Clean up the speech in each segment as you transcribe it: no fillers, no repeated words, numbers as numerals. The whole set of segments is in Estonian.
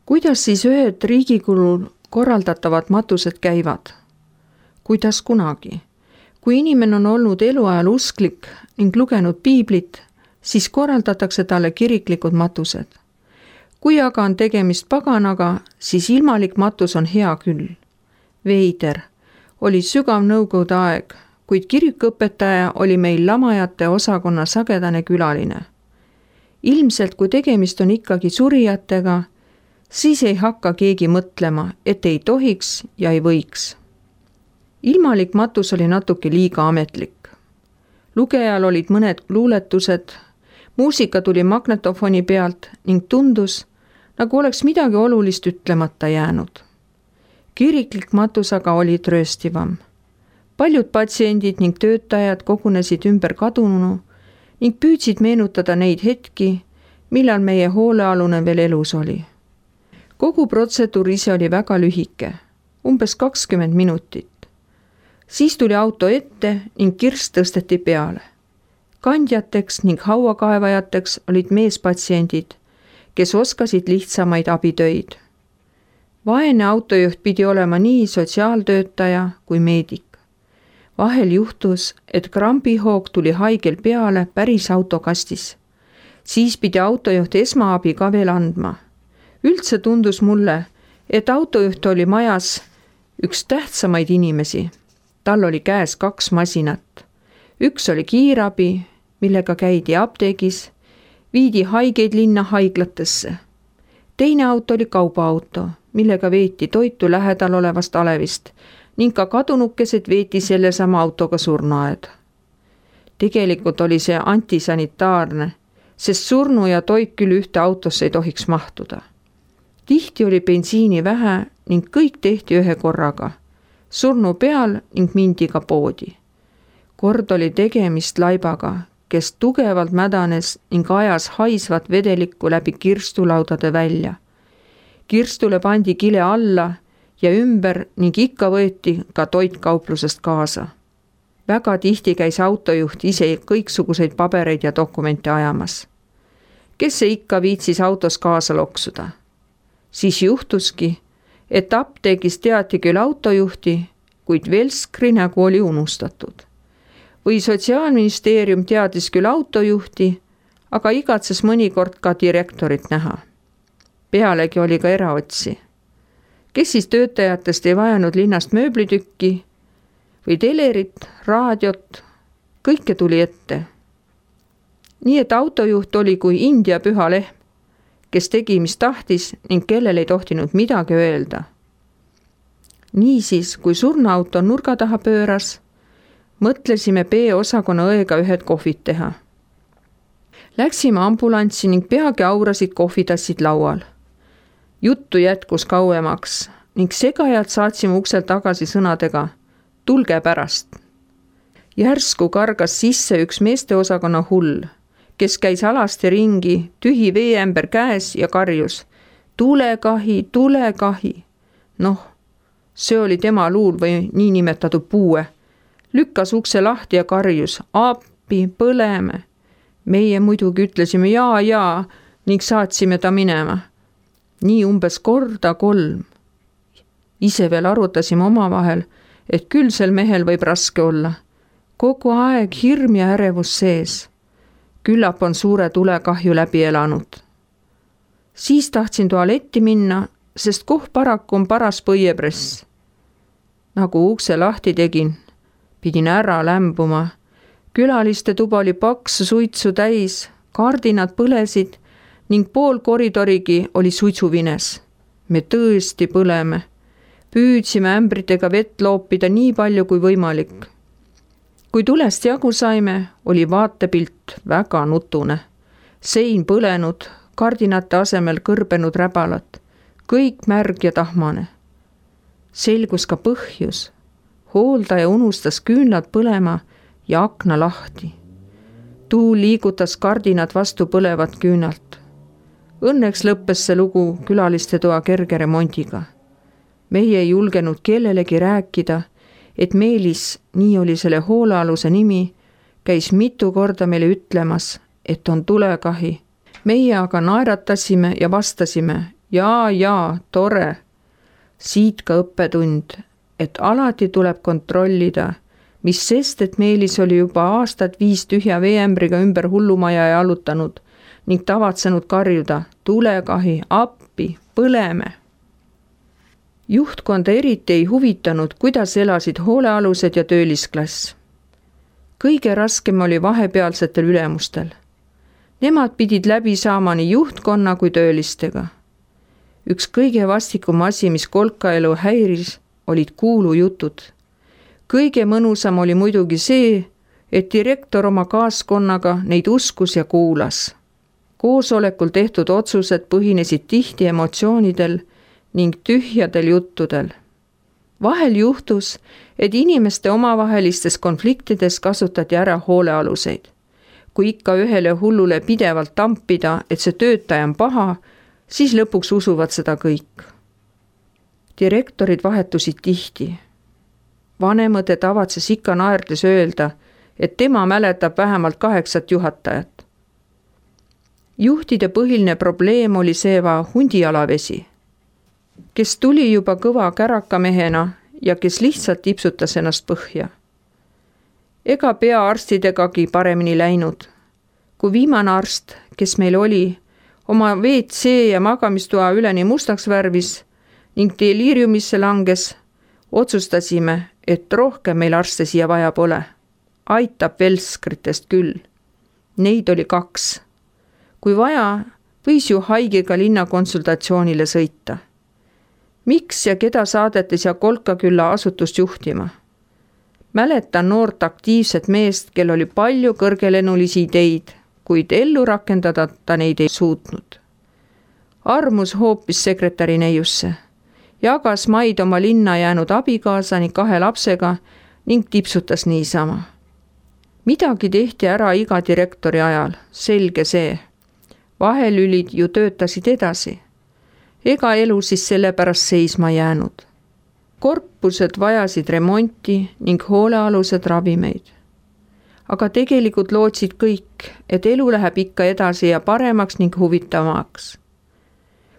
Kuidas siis ühed riigi kulul korraldatavad matused käivad? Kuidas kunagi? Kui inimene on olnud eluajal usklik ning lugenud piiblit, siis korraldatakse talle kiriklikud matused. Kui aga on tegemist paganaga, siis ilmalik matus on hea küll. Veider, oli sügav nõukogude aeg, kuid kirikuõpetaja oli meil lamajate osakonna sagedane külaline. Ilmselt, kui tegemist on ikkagi surijatega, siis ei hakka keegi mõtlema, et ei tohiks ja ei võiks. Ilmalik matus oli natuke liiga ametlik. Lugejal olid mõned luuletused, muusika tuli magnetofoni pealt ning tundus, nagu oleks midagi olulist ütlemata jäänud. Kiriklik matus aga oli trööstivam. Paljud patsiendid ning töötajad kogunesid ümber kadununu ning püüdsid meenutada neid hetki, millal meie hoolealune veel elus oli. Kogu protseduur ise oli väga lühike, umbes 20 minutit. Siis tuli auto ette ning kirst tõsteti peale. Kandjateks ning hauakaevajateks olid meespatsiendid, kes oskasid lihtsamaid abitöid. Vaene autojuht pidi olema nii sotsiaaltöötaja kui meedik. Vahel juhtus, et krambihoog tuli haigel peale päris autokastis. Siis pidi autojuht esmaabi ka veel andma. Üldse tundus mulle, et autojuht oli majas üks tähtsamaid inimesi. Tal oli käes 2 masinat. Üks oli kiirabi, millega käidi apteegis, viidi haigeid linna haiglatesse. Teine auto oli kaubaauto, millega veeti toitu lähedal olevast alevist ning ka kadunukesed veeti sellesama autoga surnuaed. Tegelikult oli see antisanitaarne, sest surnu ja toit küll ühte autosse ei tohiks mahtuda. Tihti oli bensiini vähe ning kõik tehti ühe korraga. Surnu peal ning mindi ka poodi. Kord oli tegemist laibaga, kes tugevalt mädanes ning ajas haisvat vedelikku läbi kirstulaudade välja. Kirstule pandi kile alla ja ümber ning ikka võeti ka toitkauplusest kaasa. Väga tihti käis autojuht ise kõiksuguseid pabereid ja dokumente ajamas. Kes see ikka viitsis autos kaasa loksuda? Siis juhtuski, et apteegis teati küll autojuhti, kuid Velskri nägu oli unustatud. Või Sotsiaalministeerium teadis küll autojuhti, aga igatses mõnikord ka direktorit näha. Pealegi oli ka eraotsi. Kes siis töötajatest ei vajanud linnast mööblitükki või telerit, raadiot, kõike tuli ette. Nii et autojuht oli kui India püha lehm, kes tegi, mis tahtis ning kellel ei tohtinud midagi öelda. Niisiis, kui surnuauto nurga taha pööras, mõtlesime B-osakonna õega ühed kohvid teha. Läksime ambulanssi ning peagi aurasid kohvitassid laual. Juttu jätkus kauemaks ning segajad saatsime uksel tagasi sõnadega tulge pärast. Järsku kargas sisse üks meesteosakonna hull, kes käis alasti ringi, tühi veeämber käes ja karjus tulekahi, tulekahi. Noh, see oli tema luul või niinimetatud puue. Lükkas ukse lahti ja karjus appi, põleme. Meie muidugi ütlesime jaa ning saatsime ta minema. Nii umbes korda 3. Ise veel arutasime omavahel, et küll sel mehel võib raske olla. Kogu aeg hirm ja ärevus sees. Küllap on suure tulekahju läbi elanud. Siis tahtsin tualetti minna, sest koh paraku on paras põiepress. Nagu ukse lahti tegin, pidin ära lämbuma. Külaliste tuba oli paksu suitsu täis, kardinad põlesid ning pool koridorigi oli suitsuvines. Me tõesti põleme. Püüdsime ämbritega vett loopida nii palju kui võimalik. Kui tulest jagu saime, oli vaatepilt väga nutune. Sein põlenud, kardinate asemel kõrbenud räbalat. Kõik märg ja tahmane. Selgus ka põhjus. Hooldaja unustas küünlad põlema ja akna lahti. Tuul liigutas kardinad vastu põlevat küünalt. Õnneks lõppes see lugu külaliste toa kerge remondiga. Meie ei julgenud kellelegi rääkida, et Meelis, nii oli selle hoolealuse nimi, käis mitu korda meile ütlemas, et on tulekahi. Meie aga naeratasime ja vastasime, Jaa, tore. Siit ka õppetund, et alati tuleb kontrollida, mis sest, et Meelis oli juba aastad 5 tühja veeämbriga ümber hullumaja jalutanud ning tavatsenud karjuda, tulekahi, appi, põleme. Juhtkonda eriti ei huvitanud, kuidas elasid hoolealused ja töölisklass. Kõige raskem oli vahepealsetel ülemustel. Nemad pidid läbi saama nii juhtkonna kui töölistega. Üks kõige vastikum asi, mis kolkaelu häiris, olid kuulujutud. Kõige mõnusam oli muidugi see, et direktor oma kaaskonnaga neid uskus ja kuulas. Koosolekul tehtud otsused põhinesid tihti emotsioonidel ning tühjadel juttudel. Vahel juhtus, et inimeste omavahelistes konfliktides kasutati ära hoolealuseid. Kui ikka ühele hullule pidevalt tampida, et see töötaja on paha, siis lõpuks usuvad seda kõik. Direktorid vahetusid tihti. Vanemõde tavatses ikka naerdes öelda, et tema mäletab vähemalt 8 juhatajat. Juhtide põhiline probleem oli seeva hundijalavesi, kes tuli juba kõva kärakamehena ja kes lihtsalt tipsutas ennast põhja. Ega peaarstidegagi paremini läinud. Kui viimane arst, kes meil oli, oma WC ja magamistoa üleni mustaks värvis ning deliiriumisse langes, otsustasime, et rohkem meil arste siia vaja pole. Aitab velskritest küll. Neid oli 2. Kui vaja, võis ju haigega linna konsultatsioonile sõita. Miks ja keda saadetes ja Kolkakülla asutust juhtima? Mäletan noort aktiivset meest, kel oli palju kõrgelennulisi ideid, kuid ellu rakendada ta neid ei suutnud. Armus hoopis sekretäri neiusse, jagas maid oma linna jäänud abikaasa ning 2 lapsega ning tipsutas niisama. Midagi tehti ära iga direktori ajal, selge see. Vahelülid ju töötasid edasi. Ega elu siis sellepärast seisma jäänud. Korpused vajasid remonti ning hoolealused ravimeid. Aga tegelikult lootsid kõik, et elu läheb ikka edasi ja paremaks ning huvitavamaks.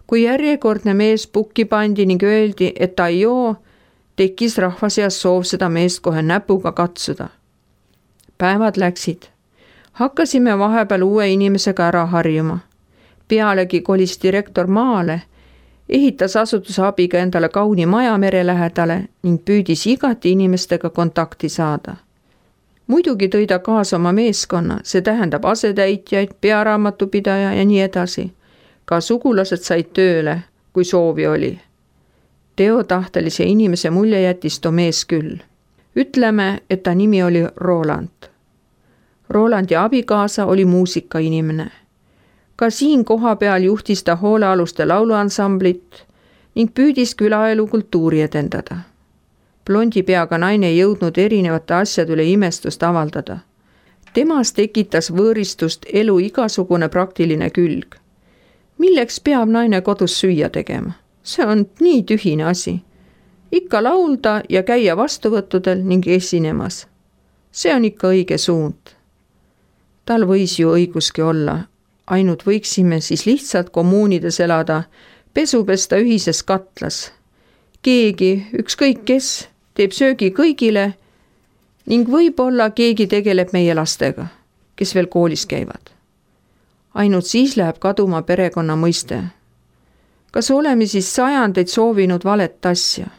Kui järjekordne mees pukki pandi ning öeldi, et ta ei joo, tekkis rahva seas soov seda meest kohe näpuga katsuda. Päevad läksid. Hakkasime vahepeal uue inimesega ära harjuma. Pealegi kolis direktor maale, ehitas asutuse abiga endale kauni maja mere lähedale ning püüdis igati inimestega kontakti saada. Muidugi tõi ta kaasa oma meeskonna, see tähendab asetäitjaid, pearaamatupidaja ja nii edasi. Ka sugulased said tööle, kui soovi oli. Teotahtelise inimese mulje jättis too mees küll. Ütleme, et ta nimi oli Roland. Rolandi abikaasa oli muusikainimene. Ka siin koha peal juhtis ta hoolealuste lauluansamblit ning püüdis külaelu kultuuri edendada. Blondi peaga naine ei jõudnud erinevate asjade üle imestust avaldada. Temas tekitas võõristust elu igasugune praktiline külg. Milleks peab naine kodus süüa tegema? See on nii tühine asi. Ikka laulda ja käia vastuvõttudel ning esinemas. See on ikka õige suund. Tal võis ju õiguski olla. Ainult võiksime siis lihtsalt kommuunides elada, pesu pesta ühises katlas. Keegi, ükskõik kes, teeb söögi kõigile ning võib-olla keegi tegeleb meie lastega, kes veel koolis käivad. Ainult siis läheb kaduma perekonna mõiste. Kas oleme siis sajandeid soovinud valet asja?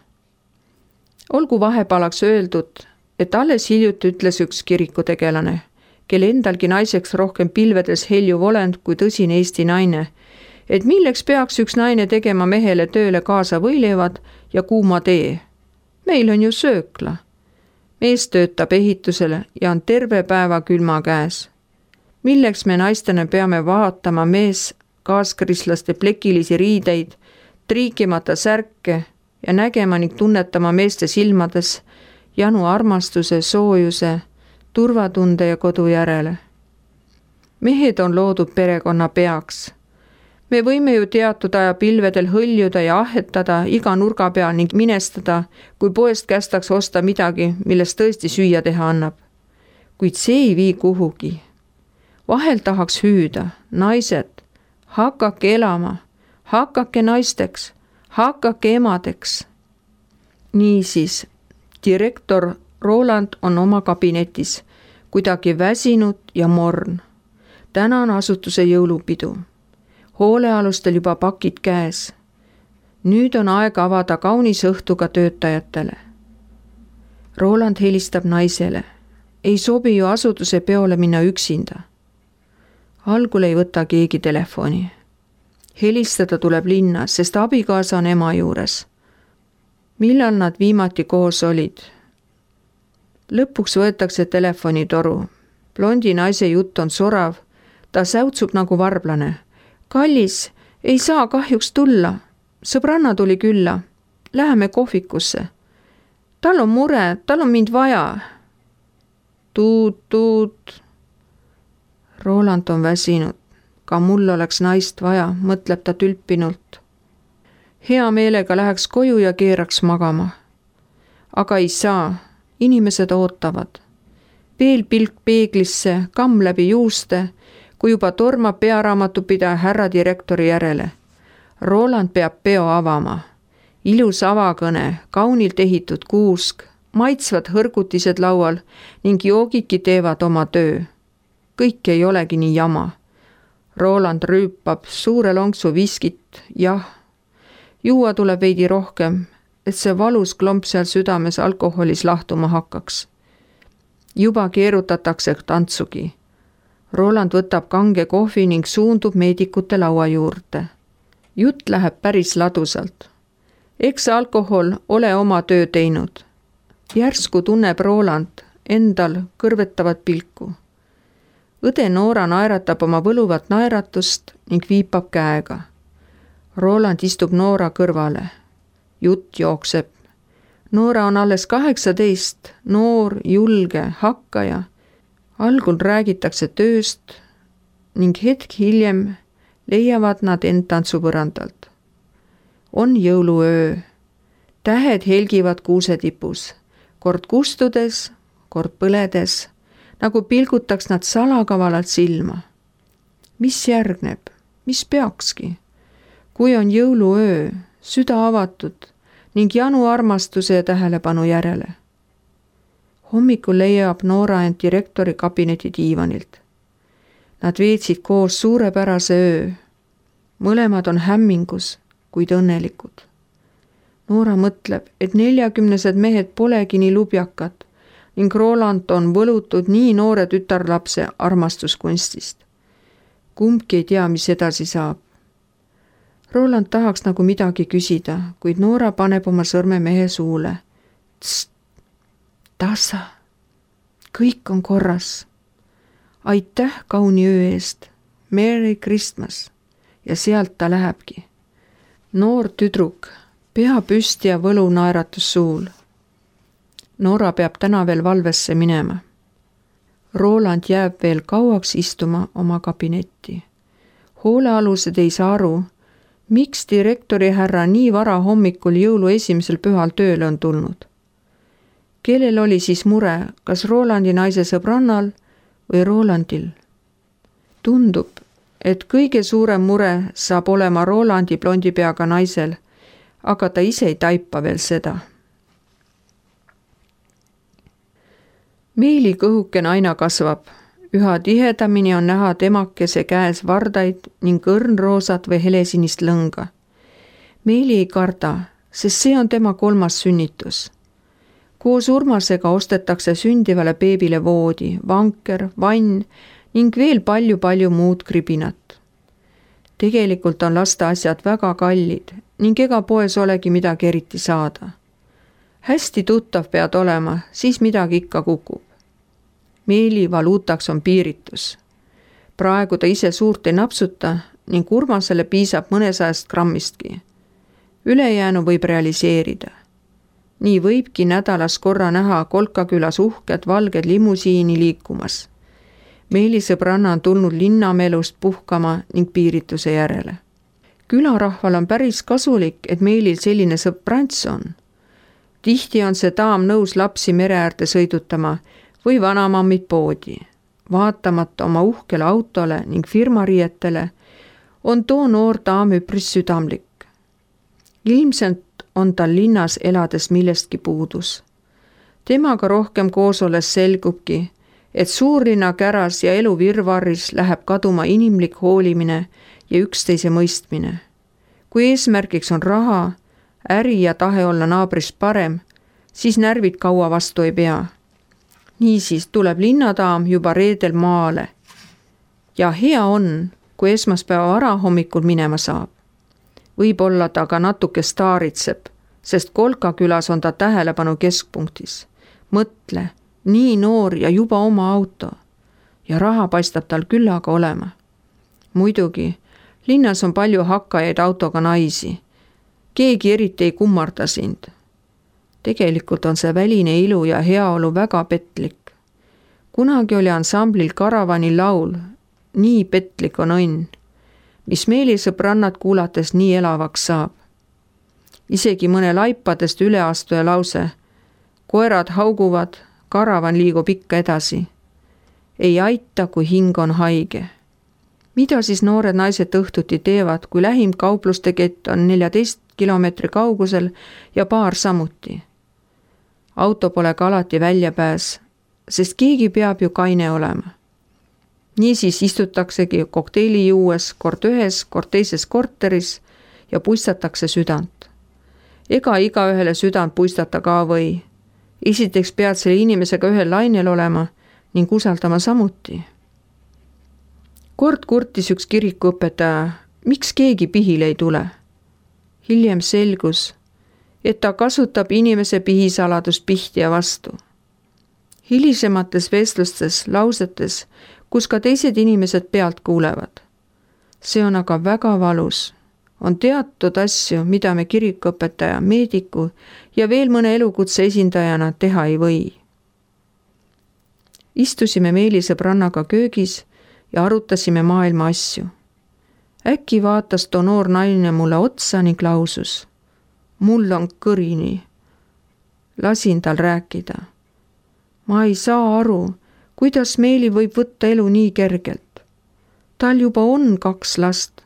Olgu vahepalaks öeldud, et alles hiljuti ütles üks kirikutegelane, kel endalgi naiseks rohkem pilvedes helju olend kui tõsine Eesti naine, et milleks peaks üks naine tegema mehele tööle kaasa võileivad ja kuuma tee. Meil on ju söökla. Mees töötab ehitusele ja on terve päeva külma käes. Milleks me naistena peame vaatama mees kaaskrislaste plekilisi riideid, triikimata särke ja nägema ning tunnetama meeste silmades janu armastuse, soojuse, turvatunde ja kodu järele. Mehed on loodud perekonna peaks. Me võime ju teatud aja pilvedel hõljuda ja ahetada iga nurga peal ning minestada, kui poest kästaks osta midagi, millest tõesti süüa teha annab. Kuid see ei vii kuhugi. Vahel tahaks hüüda, naised, hakake elama, hakake naisteks, hakake emadeks. Niisiis, direktor Roland on oma kabinetis, kuidagi väsinud ja morn. Täna on asutuse jõulupidu. Hoolealustel juba pakid käes. Nüüd on aeg avada kaunis õhtuga töötajatele. Roland helistab naisele. Ei sobi ju asutuse peole minna üksinda. Algul ei võta keegi telefoni. Helistada tuleb linna, sest abikaasa on ema juures. Millal nad viimati koos olid? Lõpuks võetakse telefonitoru. Blondi naise jutt on sorav. Ta säutsub nagu varblane. Kallis, ei saa kahjuks tulla. Sõbranna tuli külla. Läheme kohvikusse. Tal on mure, tal on mind vaja. Tuut. Roland on väsinud. Ka mul oleks naist vaja, mõtleb ta tülpinult. Hea meelega läheks koju ja keeraks magama. Aga ei saa. Inimesed ootavad. Veel pilk peeglisse, kamm läbi juuste, kui juba tormab pearaamatupidaja härra direktori järele. Roland peab peo avama. Ilus avakõne, kaunilt ehitud kuusk, maitsvad hõrgutised laual ning joogidki teevad oma töö. Kõik ei olegi nii jama. Roland rüüpab suure lonksu viskit, jah. Juua tuleb veidi rohkem, et see valus klomp seal südames alkoholis lahtuma hakkaks. Juba keerutatakse tantsugi. Roland võtab kange kohvi ning suundub meedikute laua juurde. Jutt läheb päris ladusalt. Eks alkohol ole oma töö teinud. Järsku tunneb Roland endal kõrvetavat pilku. Õde Noora naeratab oma võluvat naeratust ning viipab käega. Roland istub Noora kõrvale. Jutt jookseb. Noora on alles 18, noor, julge, hakkaja. Algul räägitakse tööst ning hetk hiljem leiavad nad end tantsupõrandalt. On jõuluöö. Tähed helgivad kuusetipus, kord kustudes, kord põledes, nagu pilgutaks nad salakavalalt silma. Mis järgneb? Mis peakski? Kui on jõuluöö, süda avatud ning janu armastuse ja tähelepanu järele. Hommikul leiab Noora end direktori kabineti diivanilt. Nad veetsid koos suurepärase öö. Mõlemad on hämmingus, kuid õnnelikud. Noora mõtleb, et 40-sed mehed polegi nii lubjakad ning Roland on võlutud nii noore tütarlapse armastuskunstist. Kumbki ei tea, mis edasi saab. Roland tahaks nagu midagi küsida, kuid Noora paneb oma sõrme mehe suule. Tst, tasa, kõik on korras. Aitäh kauni öö eest, Merry Christmas. Ja sealt ta lähebki. Noor tüdruk, pea püsti ja võlu naeratus suul. Noora peab täna veel valvesse minema. Roland jääb veel kauaks istuma oma kabinetti. Hoolealused ei saa aru, miks direktori härra nii vara hommikul jõulu esimesel pühal tööle on tulnud. Kellel oli siis mure, kas Rolandi naise sõbrannal või Rolandil? Tundub, et kõige suurem mure saab olema Rolandi blondi peaga naisel, aga ta ise ei taipa veel seda. Meeli kõhukene aina kasvab. Üha tihedamini on näha temakese käes vardaid ning õrnroosat või helesinist lõnga. Meeli ei karda, sest see on tema 3. sünnitus. Koos Urmasega ostetakse sündivale beebile voodi, vanker, vann ning veel palju muud kribinat. Tegelikult on lasteasjad väga kallid ning ega poes olegi midagi eriti saada. Hästi tuttav pead olema, siis midagi ikka kukub. Meeli valuutaks on piiritus. Praegu ta ise suurt ei napsuta ning Urmasele piisab mõnesajast grammistki. Ülejäänu võib realiseerida. Nii võibki nädalas korra näha Kolkakülas uhked valged limusiini liikumas. Meeli sõbranna on tulnud linnamelust puhkama ning piirituse järele. Külarahval on päris kasulik, et Meelil selline sõbrants on. Tihti on see daam nõus lapsi mere äärde sõidutama või vanamammid poodi. Vaatamata oma uhkele autole ning firmariietele on too noor daam üpris südamlik. Ilmselt on tal linnas elades millestki puudus. Temaga rohkem koos olles selgubki, et suurlinna käras ja elu virvarris läheb kaduma inimlik hoolimine ja üksteise mõistmine. Kui eesmärgiks on raha, äri ja tahe olla naabrist parem, siis närvid kaua vastu ei pea. Niisiis tuleb linnadaam juba reedel maale. Ja hea on, kui esmaspäeva varahommikul minema saab. Võib-olla ta ka natuke staaritseb, sest Kolka külas on ta tähelepanu keskpunktis. Mõtle, nii noor ja juba oma auto. Ja raha paistab tal küllaga olema. Muidugi, linnas on palju hakkajaid autoga naisi. Keegi eriti ei kummarda sind. Tegelikult on see väline ilu ja heaolu väga petlik. Kunagi oli ansamblil Karavani laul Nii petlik on õnn, mis meelisõbrannad kuulates nii elavaks saab. Isegi mõne laipadest üleastuja lause Koerad hauguvad, karavan liigub ikka edasi. Ei aita, kui hing on haige. Mida siis noored naised õhtuti teevad, kui lähim kaupluste kett on 14 kilomeetri kaugusel ja baar samuti? Auto pole ka alati väljapääs, sest keegi peab ju kaine olema. Niisiis istutaksegi kokteili juues kord ühes, kord teises korteris ja puistatakse südant. Ega igaühele südant puistata ka või. Esiteks pead selle inimesega ühel lainel olema ning usaldama samuti. Kord kurtis üks kirikuõpetaja, miks keegi pihile ei tule. Hiljem selgus, et ta kasutab inimese pihisaladust pihtija vastu. Hilisemates vestlustes, lausetes, kus ka teised inimesed pealt kuulevad. See on aga väga valus. On teatud asju, mida me kirikuõpetaja, meediku ja veel mõne elukutse esindajana teha ei või. Istusime meelisõbrannaga köögis ja arutasime maailma asju. Äkki vaatas too noor naine mulle otsa ning lausus. Mul on kõrini. Lasin tal rääkida. Ma ei saa aru, kuidas Meeli võib võtta elu nii kergelt. Tal juba on 2 last,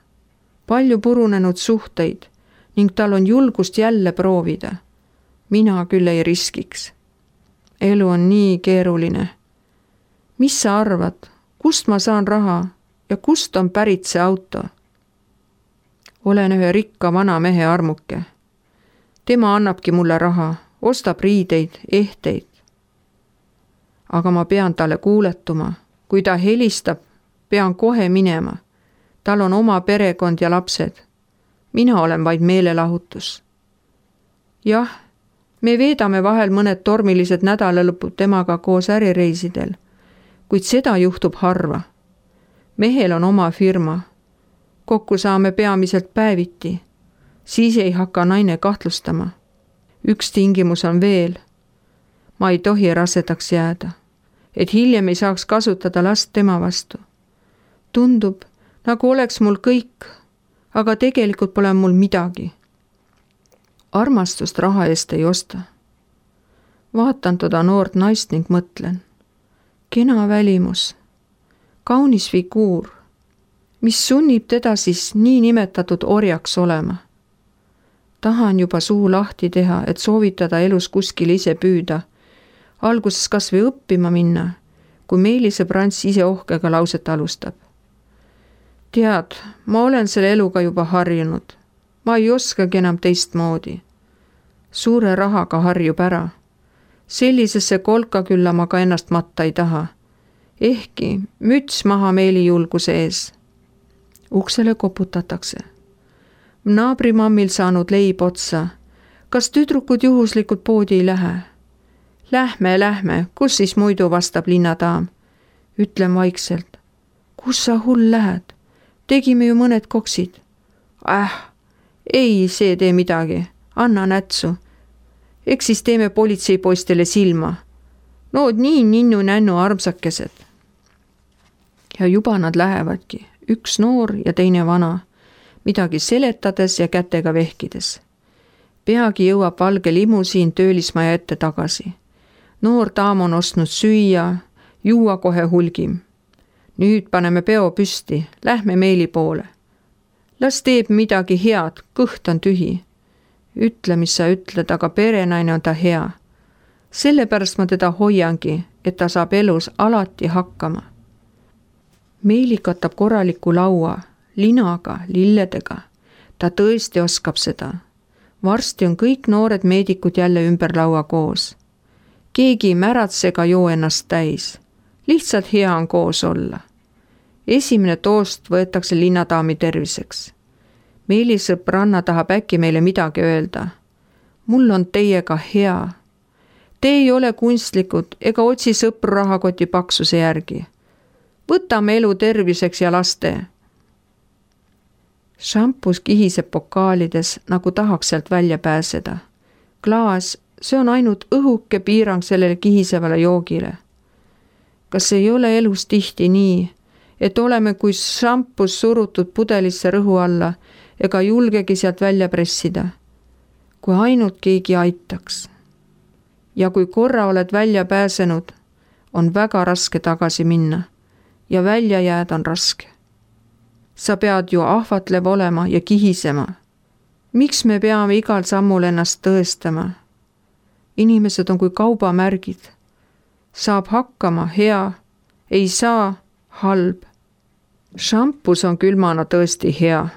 palju purunenud suhteid ning tal on julgust jälle proovida. Mina küll ei riskiks. Elu on nii keeruline. Mis sa arvad, kust ma saan raha ja kust on pärit see auto? Olen ühe rikka vana mehe armuke. Tema annabki mulle raha, ostab riideid, ehteid. Aga ma pean talle kuuletuma. Kui ta helistab, pean kohe minema. Tal on oma perekond ja lapsed. Mina olen vaid meelelahutus. Jah, me veedame vahel mõned tormilised nädalalõpud temaga koos ärireisidel, kuid seda juhtub harva. Mehel on oma firma. Kokku saame peamiselt päeviti. Siis ei hakka naine kahtlustama. Üks tingimus on veel. Ma ei tohi rasedaks jääda, et hiljem ei saaks kasutada last tema vastu. Tundub, nagu oleks mul kõik, aga tegelikult pole mul midagi. Armastust raha eest ei osta. Vaatan toda noort naist ning mõtlen. Kena välimus, kaunis figuur, mis sunnib teda siis nii nimetatud orjaks olema. Tahan juba suu lahti teha, et soovitada elus kuskil ise püüda. Alguses kas või õppima minna, kui meelisõbrants ise ohkega lauset alustab. Tead, ma olen selle eluga juba harjunud. Ma ei oskagi enam teistmoodi. Suure rahaga harjub ära. Sellisesse Kolka külla ma ka ennast matta ei taha. Ehkki müts maha Meeli julguse ees. Uksele koputatakse. Naabrimammil saanud leib otsa. Kas tüdrukud juhuslikult poodi ei lähe? Lähme, kus siis muidu, vastab linnadaam. Ütlen vaikselt. Kus sa hull lähed? Tegime ju mõned koksid. Ei, see tee midagi. Anna nätsu. Eks siis teeme politseipoistele silma. Nood nii ninnu-nännu armsakesed. Ja juba nad lähevadki. Üks noor ja teine vana. Midagi seletades ja kätega vehkides. Peagi jõuab valge limusiin töölismaja ette tagasi. Noor daam on ostnud süüa, juua kohe hulgim. Nüüd paneme peo püsti, lähme Meeli poole. las teeb midagi head, kõht on tühi. Ütle, mis sa ütled, aga perenaine on ta hea. Sellepärast ma teda hoiangi, et ta saab elus alati hakkama. Meili katab korraliku laua, linaga, lilledega. Ta tõesti oskab seda. Varsti on kõik noored meedikud jälle ümber laua koos. Keegi ei märatse ega joo ennast täis. Lihtsalt hea on koos olla. Esimene toost võetakse linnadaami terviseks. Meili sõbranna tahab äkki meile midagi öelda. Mul on teiega hea. Te ei ole kunstlikud ega otsi sõpru rahakoti paksuse järgi. Võtame elu terviseks ja laste. Šampus kihiseb pokaalides, nagu tahaks sealt välja pääseda. Klaas, see on ainult õhuke piirang sellele kihisevale joogile. Kas ei ole elus tihti nii, et oleme kui šampus surutud pudelisse rõhu alla ega julgegi sealt välja pressida? Kui ainult keegi aitaks. Ja kui korra oled välja pääsenud, on väga raske tagasi minna ja välja jääda on raske. Sa pead ju ahvatlev olema ja kihisema. Miks me peame igal sammul ennast tõestama? Inimesed on kui kaubamärgid. Saab hakkama hea, ei saa halb. Šampus on külmana tõesti hea.